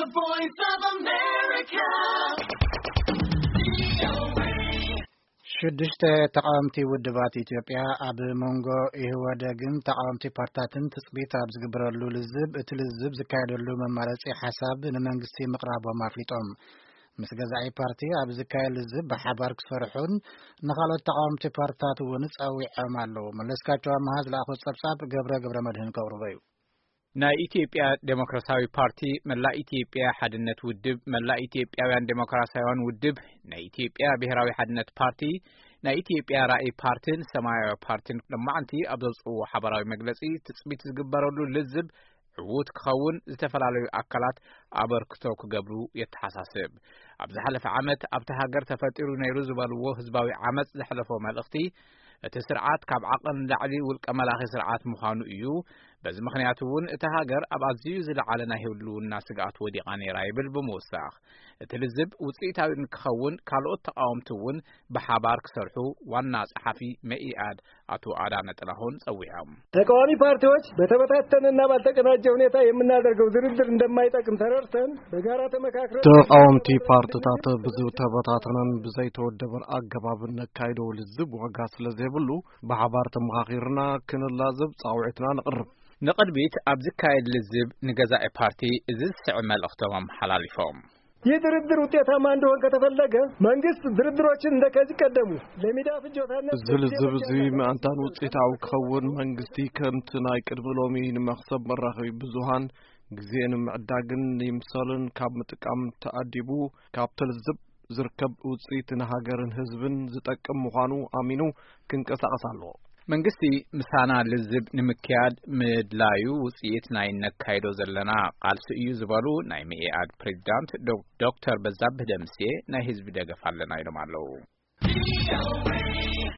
The Voice of America. ሽዱሽተ ተቃወምቲ ውድባት ኢትዮጵያ ኣብ መንጎ ኢህወደግን ተቃወምቲ ፓርትታትን ትጽቢት ኣብ ዝግበረሉ ልዝብ፣ እቲ ልዝብ ዝካየደሉ መማረጺ ሓሳብ ንመንግስቲ ምቕራቦም ኣፍሊጦም። ምስ ገዛኢ ፓርቲ ኣብ ዝካየድ ልዝብ ብሓባር ክሰርሑን ንኻልኦት ተቃወምቲ ፓርትታት እውን ጸዊዖም ኣለዉ። መለስካቸው ኣምሃ ዝለኣኾ ጸብጻብ ገብረ ገብረ መድህን ከቕርቦ እዩ። ናይ ኢትዮጵያ ዴሞክራሲያዊ ፓርቲ፣ መላእ ኢትዮጵያ ሓድነት ውድብ፣ መላእ ኢትዮጵያውያን ዴሞክራሲያውያን ውድብ፣ ናይ ኢትዮጵያ ብሔራዊ ሓድነት ፓርቲ፣ ናይ ኢትዮጵያ ራእይ ፓርቲን ሰማያዊ ፓርቲን ሎማዓንቲ ኣብ ዘውፅእዎ ሓበራዊ መግለፂ፣ ትፅቢት ዝግበረሉ ልዝብ ዕዉት ክኸውን ዝተፈላለዩ ኣካላት ኣበርክቶ ክገብሩ የተሓሳስብ። ኣብ ዝሓለፈ ዓመት ኣብቲ ሃገር ተፈጢሩ ነይሩ ዝበልዎ ህዝባዊ ዓመፅ ዘሕለፎ መልእኽቲ፣ እቲ ስርዓት ካብ ዓቐን ንላዕሊ ውልቀ መላኺ ስርዓት ምዃኑ እዩ። በዚ ምኽንያት እውን እታ ሃገር ኣብ ኣዝዩ ዝለዓለ ናይ ህልውና ስግኣት ወዲቓ ነይራ ይብል ብምውሳኽ፣ እቲ ልዝብ ውፅኢታዊ ንክኸውን ካልኦት ተቃወምቲ እውን ብሓባር ክሰርሑ ዋና ጸሓፊ መኢኣድ ኣቶ ኣዳነ ጥላሁን ጸዊዖም። ተቃዋሚ ፓርቲዎች በተበታተነና ባልተቀናጀ ሁኔታ የምናደርገው ድርድር እንደማይጠቅም ተረድተን በጋራ ተመካክረን ተቃወምቲ ፓርትታት ብዝተበታተነን ብዘይተወደበን ኣገባብ ነካይዶ ልዝብ ዋጋ ስለ ዘይብሉ፣ ብሓባር ተመኻኺርና ክንላዘብ ጻውዒትና ነቕርብ። ንቕድሚት ኣብ ዝካየድ ልዝብ ንገዛኢ ፓርቲ እዚ ዝስዕብ መልእኽቶም ኣመሓላሊፎም። ይህ ድርድር ውጤታማ እንዲሆን ከተፈለገ መንግስት ድርድሮችን እንደ ከዚህ ቀደሙ ለሚዳ ፍጆታነት እዚ ልዝብ እዚ ምእንታን ውፅኢታዊ ክኸውን መንግስቲ ከምቲ ናይ ቅድሚ ሎሚ ንመኽሰብ መራኸቢ ብዙሃን ግዜ ንምዕዳግን ይምሰልን ካብ ምጥቃም ተኣዲቡ ካብቲ ልዝብ ዝርከብ ውፅኢት ንሃገርን ህዝብን ዝጠቅም ምዃኑ ኣሚኑ ክንቀሳቐስ ኣለዎ። መንግስቲ ምሳና ልዝብ ንምክያድ ምድላዩ ውፅኢት ናይ ነካይዶ ዘለና ቃልሲ እዩ ዝበሉ ናይ መኢኣድ ፕሬዚዳንት ዶ-፣ ዶክተር በዛብህ ደምሴ ናይ ህዝቢ ደገፍ ኣለና ኢሎም ኣለዉ።